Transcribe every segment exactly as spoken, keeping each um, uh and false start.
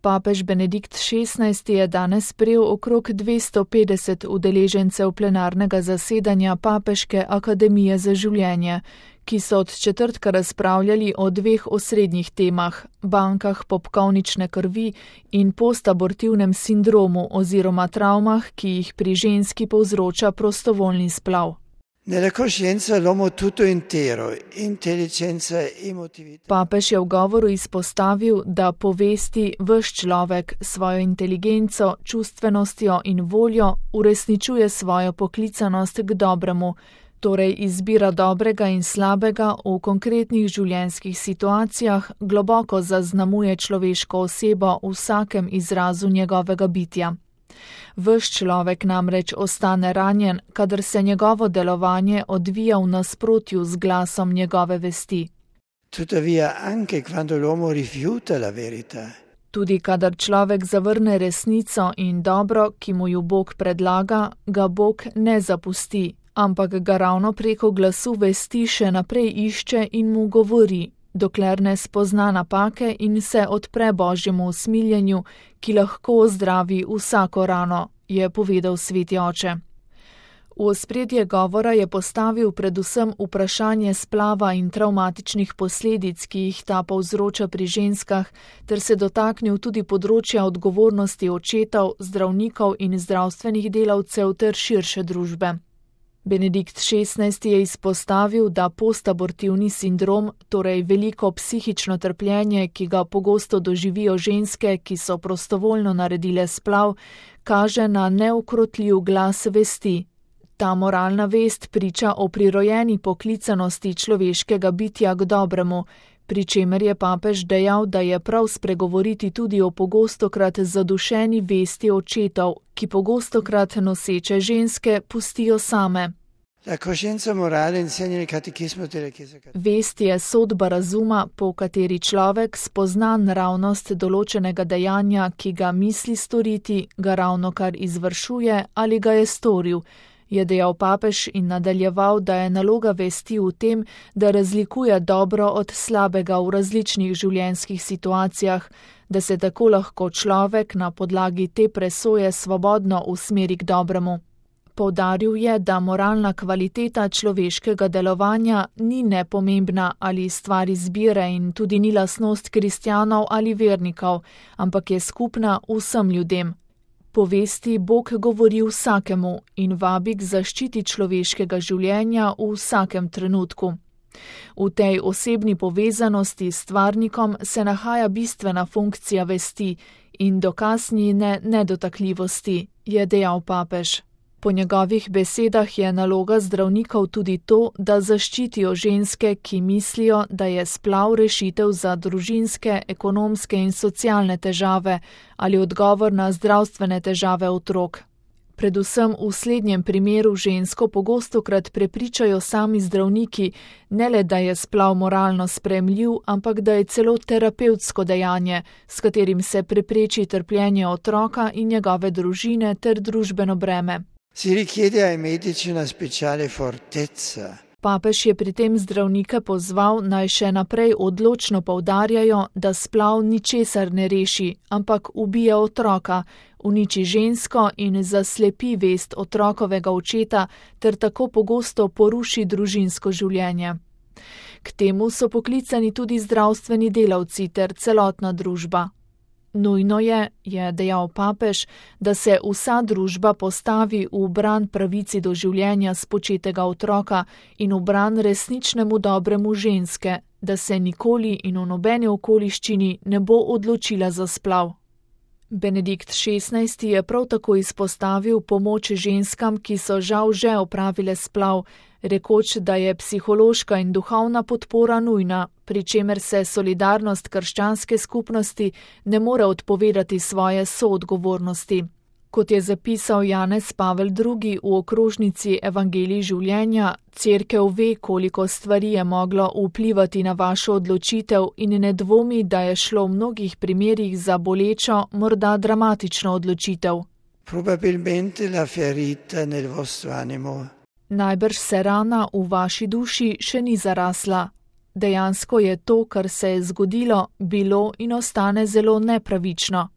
Papež Benedikt šestnajsti je danes sprejel okrog dvesto petdeset udeležencev plenarnega zasedanja Papeške akademije za življenje, ki so od četrtka razpravljali o dveh osrednjih temah, bankah popkovnične krvi in postabortivnem sindromu oziroma travmah, ki jih pri ženski povzroča prostovoljni splav. Papež je v govoru izpostavil, da povesti ves človek svojo inteligenco, čustvenostjo in voljo uresničuje svojo poklicanost k dobremu, torej izbira dobrega in slabega v konkretnih življenjskih situacijah globoko zaznamuje človeško osebo v vsakem izrazu njegovega bitja. Ves človek namreč ostane ranjen, kadar se njegovo delovanje odvija v nasprotju z glasom njegove vesti. Tudi kadar človek zavrne resnico in dobro, ki mu ju Bog predlaga, ga Bog ne zapusti, ampak ga ravno preko glasu vesti še naprej išče in mu govori, dokler ne spozna napake in se odpre Božjemu usmiljenju, ki lahko ozdravi vsako rano, je povedal sveti oče. V ospredje govora je postavil predvsem vprašanje splava in travmatičnih posledic, ki jih ta povzroča pri ženskah, ter se dotaknil tudi področja odgovornosti očetov, zdravnikov in zdravstvenih delavcev ter širše družbe. Benedikt šestnajsti je izpostavil, da postabortivni sindrom, torej veliko psihično trpljenje, ki ga pogosto doživijo ženske, ki so prostovoljno naredile splav, kaže na neukrotljiv glas vesti. Ta moralna vest priča o prirojeni poklicanosti človeškega bitja k dobremu, pri čemer je papež dejal, da je prav spregovoriti tudi o pogostokrat zadušeni vesti očetov, ki pogostokrat noseče ženske pustijo same. Vest je sodba razuma, po kateri človek spozna naravnost določenega dejanja, ki ga misli storiti, ga ravnokar izvršuje ali ga je storil, je dejal papež in nadaljeval, da je naloga vesti v tem, da razlikuje dobro od slabega v različnih življenjskih situacijah, da se tako lahko človek na podlagi te presoje svobodno usmeri k dobremu. Poudaril je, da moralna kvaliteta človeškega delovanja ni nepomembna ali stvar izbire in tudi ni lastnost kristjanov ali vernikov, ampak je skupna vsem ljudem. Po vesti Bog govori vsakemu in vabi k zaščiti človeškega življenja v vsakem trenutku. V tej osebni povezanosti s stvarnikom se nahaja bistvena funkcija vesti in dokaz njene nedotakljivosti, je dejal papež. Po njegovih besedah je naloga zdravnikov tudi to, da zaščitijo ženske, ki mislijo, da je splav rešitev za družinske, ekonomske in socialne težave ali odgovor na zdravstvene težave otrok. Predvsem v slednjem primeru žensko pogostokrat prepričajo sami zdravniki, ne le da je splav moralno sprejemljiv, ampak da je celo terapevtsko dejanje, s katerim se prepreči trpljenje otroka in njegove družine ter družbeno breme. Si richiede ai medici una speciale fortezza. Papež je pri tem zdravnike pozval, naj še naprej odločno poudarjajo, da splav ničesar ne reši, ampak ubija otroka, uniči žensko in zaslepi vest otrokovega očeta ter tako pogosto poruši družinsko življenje. K temu so poklicani tudi zdravstveni delavci ter celotna družba. Nujno je, je dejal papež, da se vsa družba postavi v bran pravici do življenja spočetega otroka in v bran resničnemu dobremu ženske, da se nikoli in v nobeni okoliščini ne bo odločila za splav. Benedikt šestnajsti je prav tako izpostavil pomoč ženskam, ki so žal že opravile splav, rekoč, da je psihološka in duhovna podpora nujna, pri čemer se solidarnost krščanske skupnosti ne more odpovedati svoje soodgovornosti. Kot je zapisal Janez Pavel drugi v okrožnici Evangelij življenja, Cerkev ve, koliko stvari je moglo vplivati na vašo odločitev in ne dvomi, da je šlo v mnogih primerih za bolečo, morda dramatično odločitev. Probabilmente la ferita nel vostro animo. Najbrž se rana v vaši duši še ni zarasla. Dejansko je to, kar se je zgodilo, bilo in ostane zelo nepravično.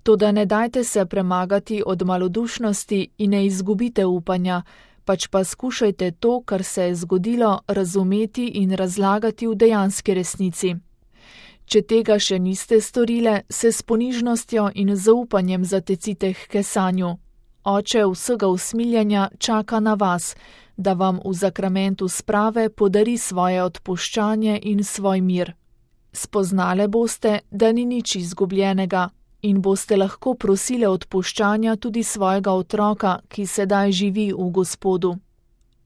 Toda ne dajte se premagati od malodušnosti in ne izgubite upanja, pač pa skušajte to, kar se je zgodilo, razumeti in razlagati v dejanski resnici. Če tega še niste storile, se s ponižnostjo in zaupanjem zatecite k kesanju. Oče vsega usmiljanja čaka na vas, da vam v zakramentu sprave podari svoje odpuščanje in svoj mir. Spoznale boste, da ni nič izgubljenega in boste lahko prosile odpuščanja tudi svojega otroka, ki sedaj živi v Gospodu.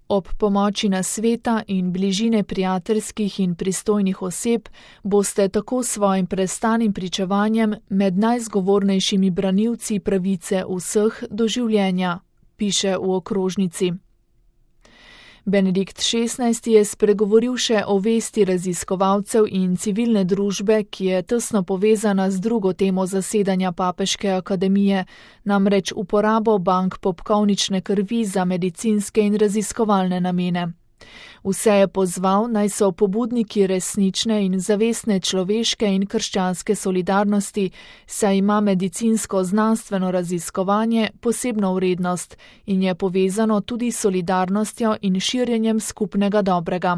Ob pomoči nasveta in bližine prijateljskih in pristojnih oseb boste tako svojim prestanim pričevanjem med najzgovornejšimi branilci pravice vseh do življenja, piše v okrožnici. Benedikt šestnajsti je spregovoril še o vesti raziskovalcev in civilne družbe, ki je tesno povezana z drugo temo zasedanja Papeške akademije, namreč uporabo bank popkovnične krvi za medicinske in raziskovalne namene. Vse je pozval, naj so pobudniki resnične in zavestne človeške in krščanske solidarnosti, saj ima medicinsko znanstveno raziskovanje posebno vrednost in je povezano tudi s solidarnostjo in širjenjem skupnega dobrega.